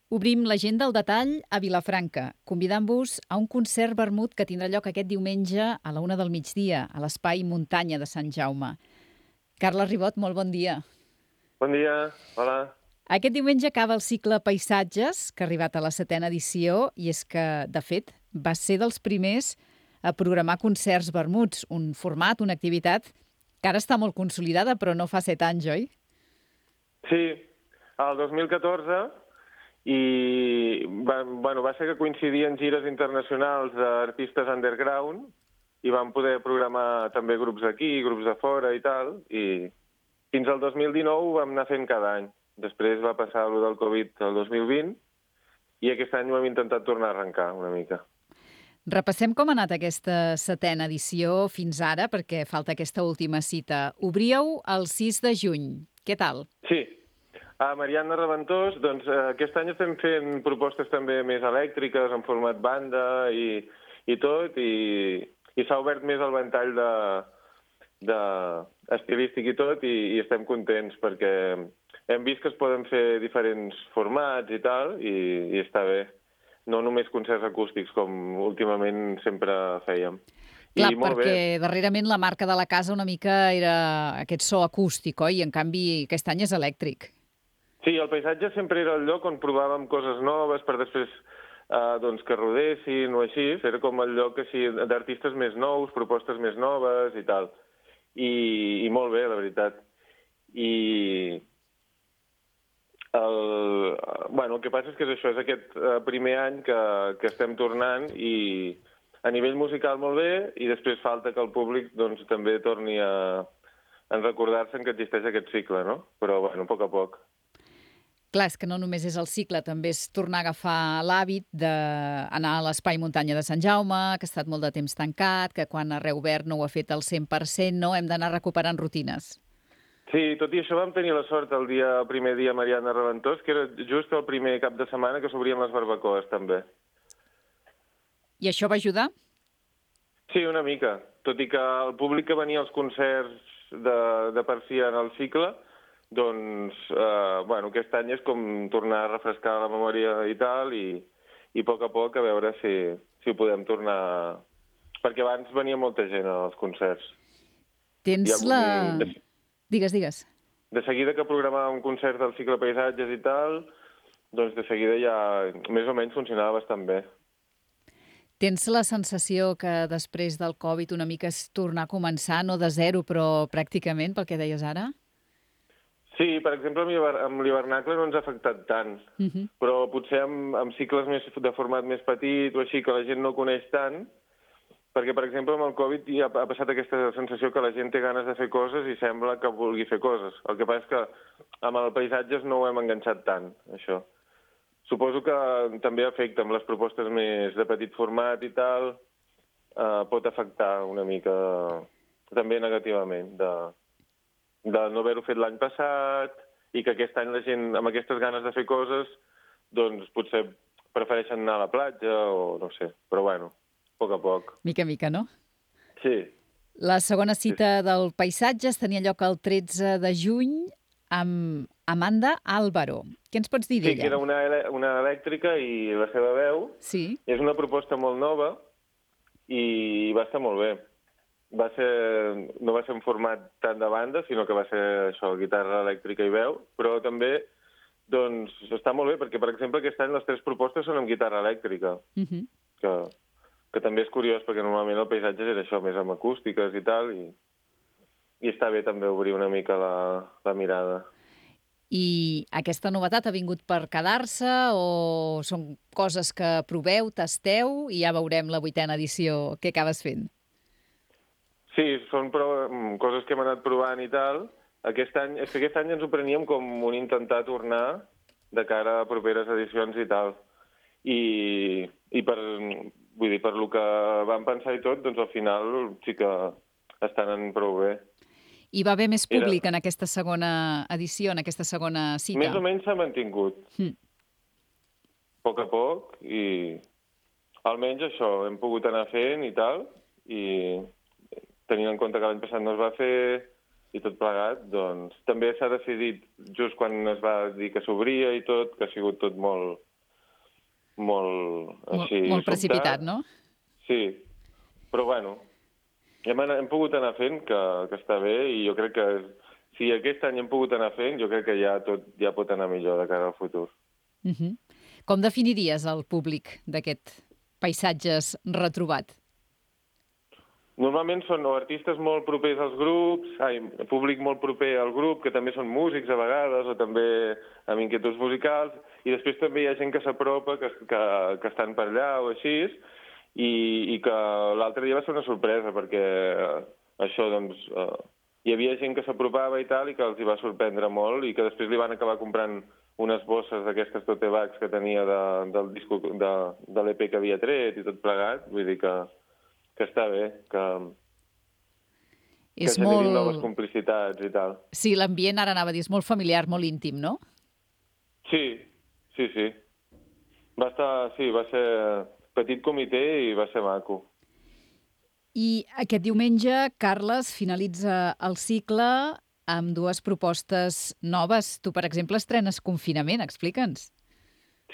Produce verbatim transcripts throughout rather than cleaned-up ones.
Obrim l'agenda al detall a Vilafranca, convidant-vos a un concert vermut que tindrà lloc aquest diumenge a la una del migdia, a l'Espai Muntanya de Sant Jaume. Carles Ribot, molt bon dia. Bon dia, hola. Aquest diumenge acaba el cicle Paisatges, que ha arribat a la setena edició, i és que, de fet, va ser dels primers a programar concerts vermuts, un format, una activitat que ara està molt consolidada, però no fa set anys, oi? Sí, el dos mil catorze, i va, bueno, va ser que coincidien gires internacionals d'artistes underground i vam poder programar també grups d'aquí, grups de fora i tal, i fins al dos mil dinou ho vam anar fent cada any. Després va passar allò del Covid el dos mil vint i aquest any ho hem intentat tornar a arrencar una mica. Repassem com ha anat aquesta setena edició fins ara, perquè falta aquesta última cita. Obríeu el sis de juny. Què tal? Sí. A Mariana Reventós, doncs eh, aquest any estem fent propostes també més elèctriques, en format banda i, i tot, i, i s'ha obert més el ventall de, de estilístic i tot, i, i estem contents perquè hem vist que es poden fer diferents formats i tal, i, i està bé. No només concerts acústics, com últimament sempre fèiem. Clar, I molt perquè bé. darrerament la marca de la casa una mica era aquest so acústic, oi? I en canvi aquest any és elèctric. Sí, el paisatge sempre era el lloc on provàvem coses noves per després eh, doncs, que rodessin o així. Era com el lloc així d'artistes més nous, propostes més noves i tal. I, i molt bé, la veritat. I el, bueno, el que passa és que és això, és aquest eh, primer any que, que estem tornant i a nivell musical molt bé, i després falta que el públic doncs, també torni a, a recordar-se que existeix aquest cicle, no? Però, bueno, a poc a poc. Clar, és que no només és el cicle, també és tornar a agafar l'hàbit d'anar a l'Espai Muntanya de Sant Jaume, que ha estat molt de temps tancat, que quan ha reobert no ho ha fet al cent per cent, no? Hem d'anar recuperant rutines. Sí, tot i això vam tenir la sort el dia el primer dia a Mariana Reventós, que era just el primer cap de setmana que s'obrien les barbacoes, també. I això va ajudar? Sí, una mica. Tot i que el públic que venia als concerts de, de per si en el cicle, doncs, eh, bueno, aquest any és com tornar a refrescar la memòria i tal, i, i a poc a poc a veure si, si ho podem tornar... Perquè abans venia molta gent als concerts. Tens ha, la... De, digues, digues. De seguida que programàvem un concert del cicle Paisatges i tal, doncs de seguida ja més o menys funcionava bastant bé. Tens la sensació que després del Covid una mica és tornar a començar, no de zero, però pràcticament, pel que deies ara? Sí, per exemple, amb l'hivernacle no ens ha afectat tant, uh -huh. però potser amb, amb cicles més de format més petit o així, que la gent no coneix tant, perquè, per exemple, amb el Covid ja ha passat aquesta sensació que la gent té ganes de fer coses i sembla que vulgui fer coses. El que passa és que amb el paisatges no ho hem enganxat tant, això. Suposo que també afecta amb les propostes més de petit format i tal, eh, pot afectar una mica també negativament de... de no haver-ho fet l'any passat i que aquest any la gent amb aquestes ganes de fer coses doncs potser prefereixen anar a la platja o no sé, però bueno, a poc a poc. Mica a mica, no? Sí. La segona cita del Paisatges tenia lloc el tretze de juny amb Amanda Álvaro. Què ens pots dir d'ella? Sí, que era una, una elèctrica i la seva veu. Sí. És una proposta molt nova i va estar molt bé. Va ser, no va ser un format tant de banda, sinó que va ser això, guitarra elèctrica i veu, però també doncs, està molt bé, perquè, per exemple, aquest any les tres propostes són amb guitarra elèctrica, uh -huh. que, que també és curiós, perquè normalment el paisatge era això, més amb acústiques i tal, i, i està bé també obrir una mica la, la mirada. I aquesta novetat ha vingut per quedar-se o són coses que proveu, tasteu i ja veurem la vuitena edició què acabes fent? Sí, són prou, coses que hem anat provant i tal. Aquest any, és que aquest any ens ho preníem com un intentar tornar de cara a properes edicions i tal. I, i per, vull dir, per lo que vam pensar i tot, doncs al final sí que estan en prou bé. Hi va haver més públic Era... en aquesta segona edició, en aquesta segona cita? Més o menys s'ha mantingut. Mm. A poc a poc, i almenys això, hem pogut anar fent i tal, i tenint en compte que l'any passat no es va fer i tot plegat, doncs també s'ha decidit just quan es va dir que s'obria i tot, que ha sigut tot molt, molt, així, molt, molt sobtat. precipitat, no? Sí, però bueno, hem, hem pogut anar fent, que, que està bé, i jo crec que si aquest any hem pogut anar fent, jo crec que ja tot ja pot anar millor de cara al futur. Uh -huh. Com definiries el públic d'aquest Paisatges retrobat? Normalment són o artistes molt propers als grups, ai, públic molt proper al grup, que també són músics a vegades, o també amb inquietuds musicals, i després també hi ha gent que s'apropa, que, que, que estan per allà o així, i, i que l'altre dia va ser una sorpresa, perquè eh, això, doncs, eh, hi havia gent que s'apropava i tal, i que els hi va sorprendre molt, i que després li van acabar comprant unes bosses d'aquestes tote bags que tenia de, del disco, de, de l'E Pe que havia tret i tot plegat, vull dir que que està bé, que, és que generin molt... noves complicitats i tal. Sí, l'ambient, ara anava a dir, és molt familiar, molt íntim, no? Sí, sí, sí. Va estar, sí, va ser petit comitè i va ser maco. I aquest diumenge, Carles, finalitza el cicle amb dues propostes noves. Tu, per exemple, estrenes Confinament, explica'ns.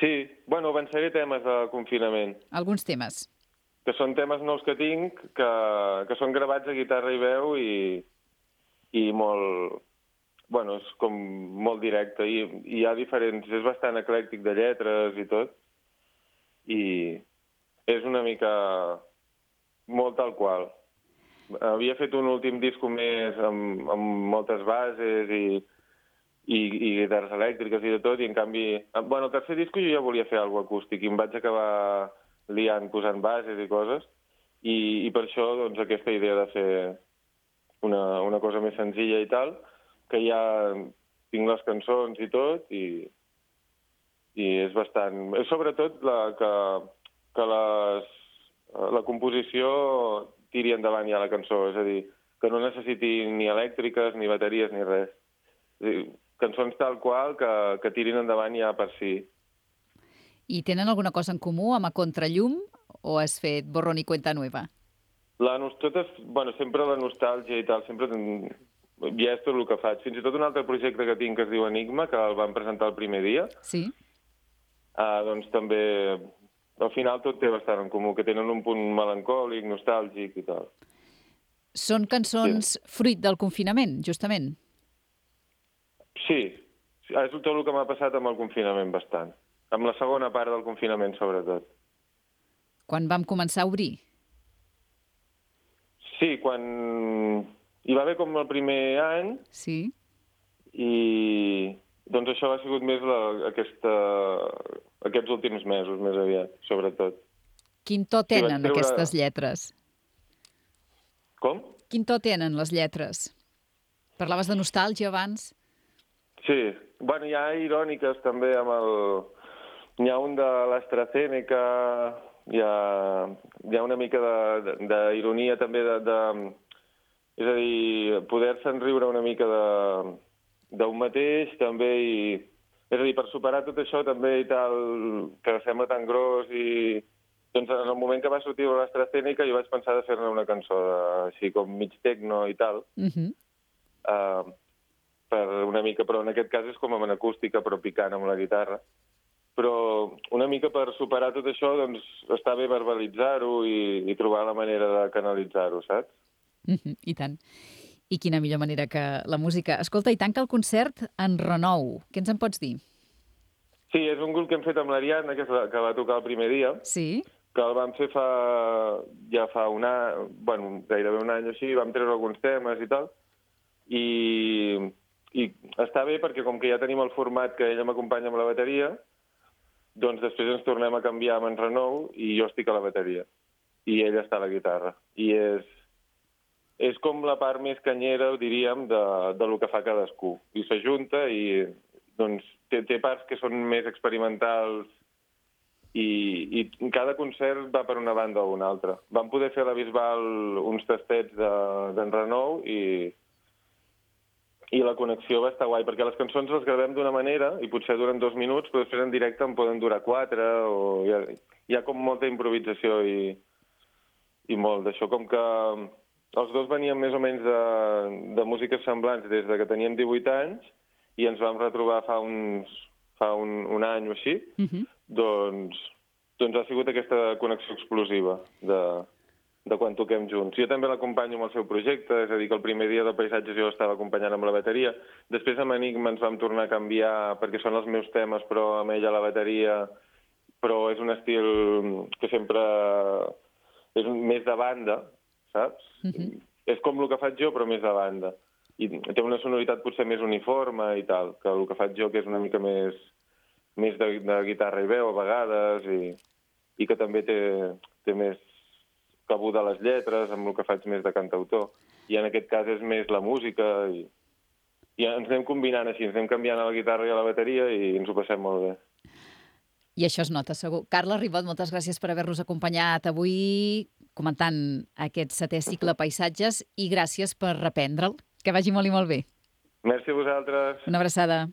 Sí, bueno, avançaré temes de confinament. Alguns temes. Que són temes nous que tinc, que, que són gravats a guitarra i veu i, i molt... Bueno, és com molt directe. I, i hi ha diferents... És bastant eclèctic de lletres i tot. I és una mica molt tal qual. Havia fet un últim disco més amb, amb moltes bases i, i, i guitarres elèctriques i de tot, i en canvi... Bueno, el tercer disco jo ja volia fer alguna cosa acústic i em vaig acabar liant posant bases i coses, i, i per això doncs, aquesta idea de fer una, una cosa més senzilla i tal, que ja tinc les cançons i tot, i, i és bastant... És sobretot la, que, que les, la composició tiri endavant ja la cançó, és a dir, que no necessiti ni elèctriques, ni bateries, ni res. És a dir, cançons tal qual que, que tirin endavant ja per si. I tenen alguna cosa en comú amb A Contrallum o has fet borrón y cuenta nueva? La, totes, bueno, sempre la nostàlgia i tal, sempre ja és tot el que faig. Fins i tot un altre projecte que tinc que es diu Enigma, que el vam presentar el primer dia, sí. uh, doncs també, al final tot té bastant en comú, que tenen un punt melancòlic, nostàlgic i tal. Són cançons sí. fruit del confinament, justament? Sí, és tot el que m'ha passat amb el confinament bastant. Amb la segona part del confinament, sobretot. Quan vam començar a obrir? Sí, quan hi va haver com el primer any. Sí. I doncs això ha sigut més la, aquesta, aquests últims mesos, més aviat, sobretot. Quin to tenen sí, treure... aquestes lletres? Com? Quin to tenen les lletres? Parlaves de nostàlgia abans? Sí, bueno, hi ha iròniques també amb el... N'hi ha un de l'AstraZeneca, hi ha, hi ha una mica d'ironia també de, de... És a dir, poder-se'n riure una mica d'un mateix també i... És a dir, per superar tot això també i tal, que sembla tan gros i... Doncs en el moment que va sortir l'AstraZeneca jo vaig pensar de fer-ne una cançó de, així com mig tecno i tal. Uh-huh. uh, per una mica, però en aquest cas és com en acústica però picant amb la guitarra. Però una mica per superar tot això, doncs està bé verbalitzar-ho i, i trobar la manera de canalitzar-ho, saps? Mm-hmm, i tant. I quina millor manera que la música. Escolta, i tanca el concert en Renou. Què ens en pots dir? Sí, és un grup que hem fet amb l'Ariadna, que, que va tocar el primer dia. Sí. Que el vam fer fa, ja fa un any, bueno, gairebé un any o així, vam treure alguns temes i tal. I, i està bé perquè com que ja tenim el format que ella m'acompanya amb la bateria, doncs després ens tornem a canviar amb en Renou i jo estic a la bateria. I ella està a la guitarra. I és, és com la part més canyera, diríem, de, de lo que fa cadascú. I s'ajunta i doncs, té, té parts que són més experimentals i, i cada concert va per una banda o una altra. Vam poder fer a la Bisbal uns tastets d'en de, Renou i... I la connexió va estar guai, perquè les cançons les gravem d'una manera i potser duren dos minuts, però després en directe en poden durar quatre, o hi ha, hi ha com molta improvisació i, i molt d'això. Com que els dos veníem més o menys de, de músiques semblants des de que teníem divuit anys i ens vam retrobar fa, uns, fa un, un any o així, uh-huh. doncs, doncs ha sigut aquesta connexió explosiva de, de quan toquem junts. Jo també l'acompanyo amb el seu projecte, és a dir, que el primer dia de paisatges jo estava acompanyant amb la bateria. Després amb Enigma ens vam tornar a canviar perquè són els meus temes, però amb ella la bateria, però és un estil que sempre és més de banda, saps? Mm-hmm. És com el que faig jo, però més de banda. I té una sonoritat potser més uniforme i tal, que el que faig jo, que és una mica més, més de, de guitarra i veu a vegades, i, i que també té, té més cabuda a les lletres, amb el que faig més de cantautor. I en aquest cas és més la música, i, i ens anem combinant així, ens anem canviant a la guitarra i a la bateria i ens ho passem molt bé. I això es nota, segur. Carles Ribot, moltes gràcies per haver-nos acompanyat avui comentant aquest setè cicle Paisatges i gràcies per reprendre'l. Que vagi molt i molt bé. Merci a vosaltres. Una abraçada.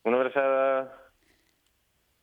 Una abraçada.